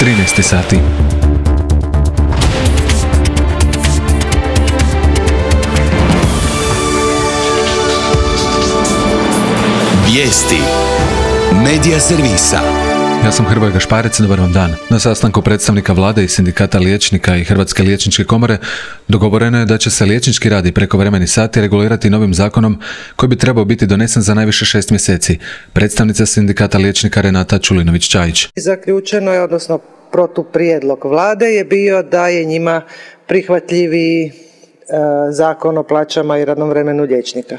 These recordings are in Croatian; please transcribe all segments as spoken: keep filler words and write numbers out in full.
trinaest sati. Vijesti Medija servisa. Ja sam Hrvoje Gašparec, dobar vam dan. Na sastanku predstavnika vlade i sindikata liječnika i Hrvatske liječničke komore dogovoreno je da će se liječnički rad i prekovremeni sati regulirati novim zakonom koji bi trebao biti donesen za najviše šest mjeseci. Predstavnica sindikata liječnika Renata Čulinović-Čajić. Zaključeno je, odnosno protuprijedlog vlade je bio da je njima prihvatljiviji Zakon o plaćama i radnom vremenu liječnika.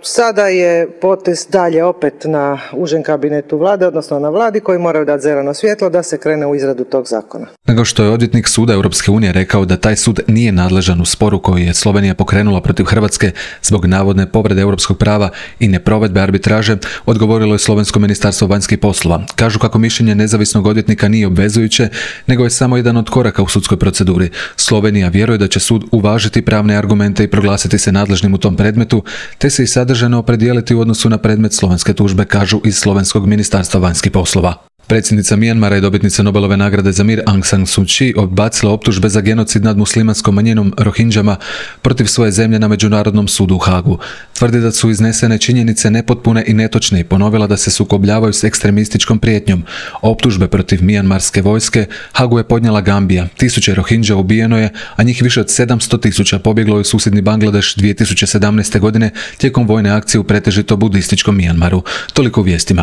Sada je potez dalje opet na užem kabinetu vlade, odnosno na vladi, koji moraju dati zeleno svjetlo da se krene u izradu tog zakona. Nego što je odvjetnik Suda Europske unije rekao da taj sud nije nadležan u sporu koji je Slovenija pokrenula protiv Hrvatske zbog navodne povrede europskog prava i neprovedbe arbitraže, odgovorilo je Slovensko ministarstvo vanjskih poslova. Kažu kako mišljenje nezavisnog odvjetnika nije obvezujuće, nego je samo jedan od koraka u sudskoj proceduri. Slovenija vjeruje da će sud uvažiti pravne argumente i proglasiti se nadležnim u tom predmetu, te se i sadržajno opredijeliti u odnosu na predmet slovenske tužbe, kažu iz Slovenskog ministarstva vanjskih poslova. Predsjednica Mijanmara i dobitnica Nobelove nagrade za mir Aung San Suu Kyi odbacila optužbe za genocid nad muslimanskom manjinom Rohinđama protiv svoje zemlje na Međunarodnom sudu u Hagu. Tvrdi da su iznesene činjenice nepotpune i netočne i ponovila da se sukobljavaju s ekstremističkom prijetnjom. Optužbe protiv mijanmarske vojske Hagu je podnijela Gambija. Tisuće Rohinđa ubijeno je, a njih više od sedamsto tisuća pobjeglo je u susjedni Bangladeš dvije tisuće sedamnaeste godine tijekom vojne akcije u pretežito budističkom Mijanmaru. Toliko u vijestima.